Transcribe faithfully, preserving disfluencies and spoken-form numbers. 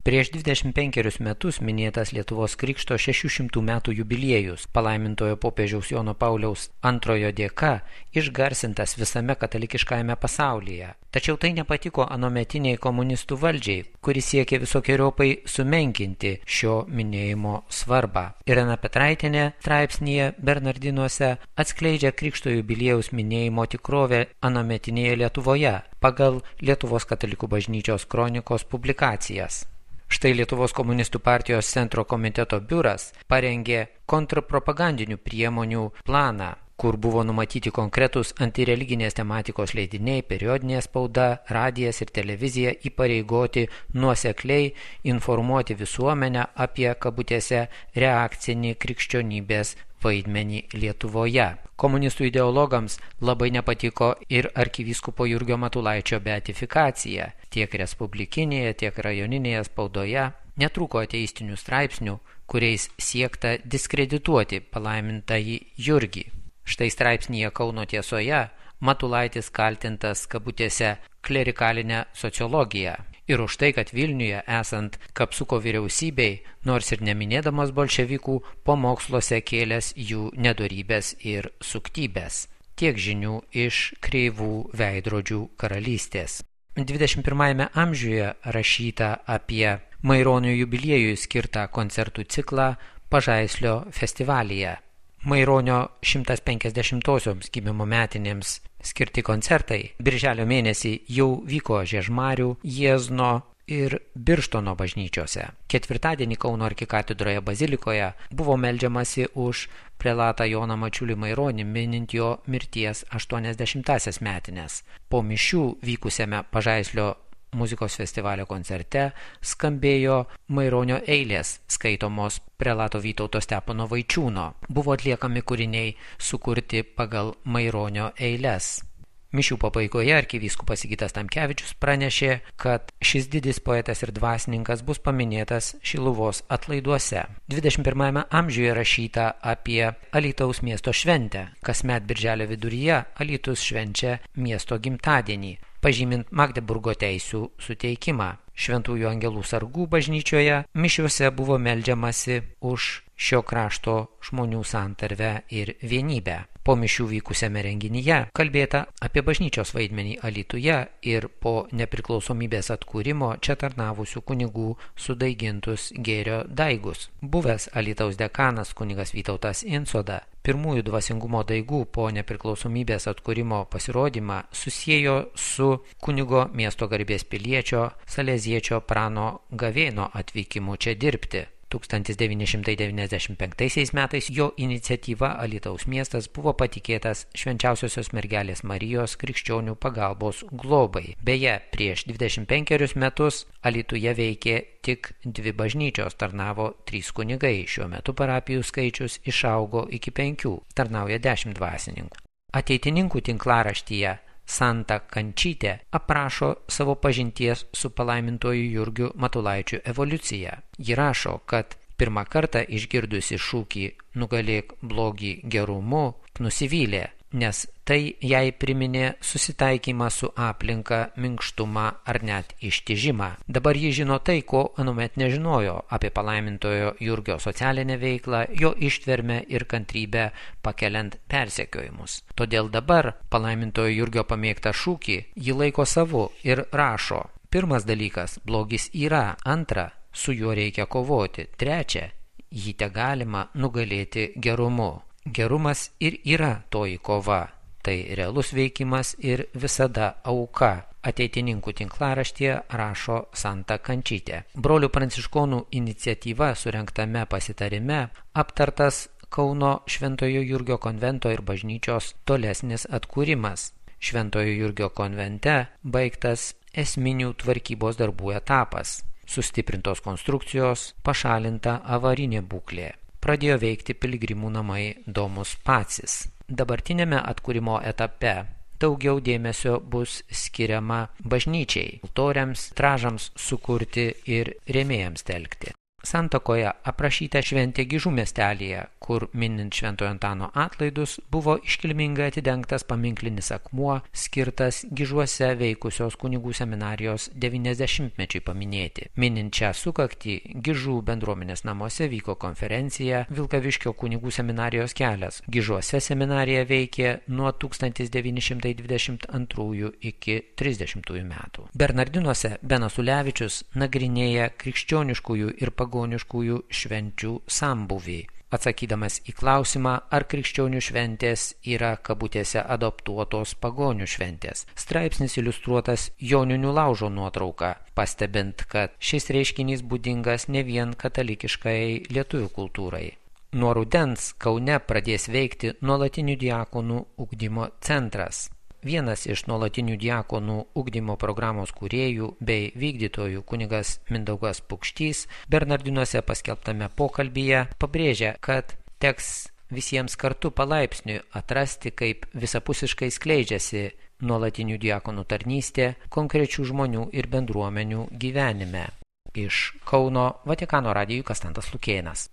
Prieš dvidešimt penkerius metus minėtas Lietuvos krikšto šešių šimtų metų jubiliejus, palaimintojo popiežiaus Jono Pauliaus antrojo dėka, išgarsintas visame katalikiškajame pasaulyje. Tačiau tai nepatiko anuometiniai komunistų valdžiai, kuri siekė visokiojopai sumenkinti šio minėjimo svarbą. Irena Petraitienė straipsnyje Bernardinuose atskleidžia krikšto jubiliejaus minėjimo tikrovę anuometinėje Lietuvoje pagal Lietuvos katalikų bažnyčios kronikos publikacijas. Štai Lietuvos komunistų partijos centro komiteto biuras parengė kontrpropagandinių priemonių planą, kur buvo numatyti konkretus antireliginės tematikos leidiniai, periodinė spauda, radijas ir televizija įpareigoti nuosekliai informuoti visuomenę apie kabutėse reakcinį krikščionybės vaidmenį Lietuvoje. Komunistų ideologams labai nepatiko ir arkivyskupo Jurgio Matulaičio beatifikacija. Tiek respublikinėje, tiek rajoninėje spaudoje netrūko ateistinių straipsnių, kuriais siekta diskredituoti palaimintąjį Jurgį. Štai straipsnyje Kauno tiesoje Matulaitis kaltintas kabutėse klerikalinę sociologiją. Ir už tai, kad Vilniuje esant Kapsuko vyriausybei, nors ir neminėdamas bolševikų, pamoksluose kėlęs jų nedorybės ir suktybės. Tiek žinių iš kreivų veidrodžių karalystės. dvidešimt pirmajame amžiuje rašyta apie Maironio jubiliejui skirtą koncertų ciklą Pažaislio festivalyje. Maironio šimtas penkiasdešimtosioms gimimo metinėms skirti koncertai birželio mėnesį jau vyko Žiežmarių, Jiezno ir Birštono bažnyčiose. Ketvirtadienį Kauno arkikatedroje bazilikoje buvo meldžiamasi už prelatą Joną Mačiulį Maironį, minint jo mirties aštuoniasdešimtąsias metines. Po mišių vykusiame Pažaislio muzikos festivalio koncerte skambėjo Maironio eilės, skaitomos prelato Vytauto Stepono Vaičiūno. Buvo atliekami kūriniai sukurti pagal Maironio eiles. Mišių pabaigoje arkivyskupas Sigitas Tamkevičius pranešė, kad šis didis poetas ir dvasininkas bus paminėtas Šiluvos atlaiduose. dvidešimt pirmajame amžiuje rašyta apie Alytaus miesto šventę. Kasmet birželio viduryje Alytus švenčia miesto gimtadienį, pažymint Magdeburgo teisių suteikimą. Šventųjų angelų sargų bažnyčioje mišiuose buvo meldžiamasi už šio krašto žmonių santarvę ir vienybę. Po mišių vykusiame renginyje kalbėta apie bažnyčios vaidmenį Alytuje ir po nepriklausomybės atkūrimo čia tarnavusių kunigų sudaigintus gėrio daigus. Buvęs Alytaus dekanas kunigas Vytautas Insoda pirmųjų dvasingumo daigų po nepriklausomybės atkūrimo pasirodymą susiejo su kunigo miesto garbės piliečio Saleziečio Prano Gavėno atvykimu čia dirbti. tūkstantis devyni šimtai devyniasdešimt penktaisiais metais jo iniciatyva Alytaus miestas buvo patikėtas Švenčiausiosios mergelės Marijos krikščionių pagalbos globai. Beje, prieš dvidešimt penkerius metus Alytuje veikė tik dvi bažnyčios, tarnavo trys kunigai. Šiuo metu parapijų skaičius išaugo iki penkių, tarnauja dešimt dvasininkų. Ateitininkų tinklaraštyje Santa Kančytė aprašo savo pažinties su palaimintoju Jurgiu Matulaičiu evoliuciją. Ji rašo, kad pirmą kartą išgirdusi šūkį "Nugalėk blogį gerumu", nusivylė, nes tai jai priminė susitaikymą su aplinka, minkštumą ar net ištižimą. Dabar ji žino tai, ko anuomet nežinojo apie palaimintojo Jurgio socialinę veiklą, jo ištvermę ir kantrybę pakeliant persekiojimus. Todėl dabar palaimintojo Jurgio pamėgtą šūkį ji laiko savu ir rašo: pirmas dalykas – blogis yra, antra – su juo reikia kovoti, trečia – jį tegalima nugalėti gerumu. Gerumas ir yra toji kova. Tai realus veikimas ir visada auka. Ateitininkų tinklaraštyje rašo Santa Kančytė. Brolių pranciškonų iniciatyva surengtame pasitarime aptartas Kauno Šventojo Jurgio konvento ir bažnyčios tolesnis atkūrimas. Šventojo Jurgio konvente baigtas esminių tvarkybos darbų etapas. Sustiprintos konstrukcijos, pašalinta avarinė būklė. Pradėjo veikti piligrimų namai Domus Pacis. Dabartinėme atkūrimo etape daugiau dėmesio bus skiriama bažnyčiai, altoriams, tražams sukurti ir rėmėjams telkti. Santakoje aprašyta šventė Gižų miestelyje, kur minint Šventojo Antano atlaidus buvo iškilmingai atidengtas paminklinis akmuo, skirtas Gižuose veikusios kunigų seminarijos devyniasdešimtmečiui paminėti. Minint šią sukaktį, Gižų bendruomenės namuose vyko konferencija Vilkaviškio kunigų seminarijos kelias. Gižuose seminarija veikė nuo tūkstantis devyni šimtai dvidešimt antrųjų iki trisdešimtųjų metų. Bernardinuose Benas Ulevičius nagrinėja krikščioniškųjų ir pagoniškųjų švenčių sambūvį, atsakydamas į klausimą, ar krikščionių šventės yra kabutėse adoptuotos pagonių šventės. Straipsnis iliustruotas Joninių laužo nuotrauka, pastebint, kad šis reiškinys būdingas ne vien katalikiškai lietuvių kultūrai. Nuo rudens Kaune pradės veikti nuolatinių diakonų ugdymo centras. Vienas iš nuolatinių diakonų ugdymo programos kūrėjų bei vykdytojų kunigas Mindaugas Pukštys Bernardinuose paskelbtame pokalbyje pabrėžia, kad teks visiems kartu palaipsniui atrasti, kaip visapusiškai skleidžiasi nuolatinių diakonų tarnystė konkrečių žmonių ir bendruomenių gyvenime. Iš Kauno Vatikano radijui Kastantas Lukėnas.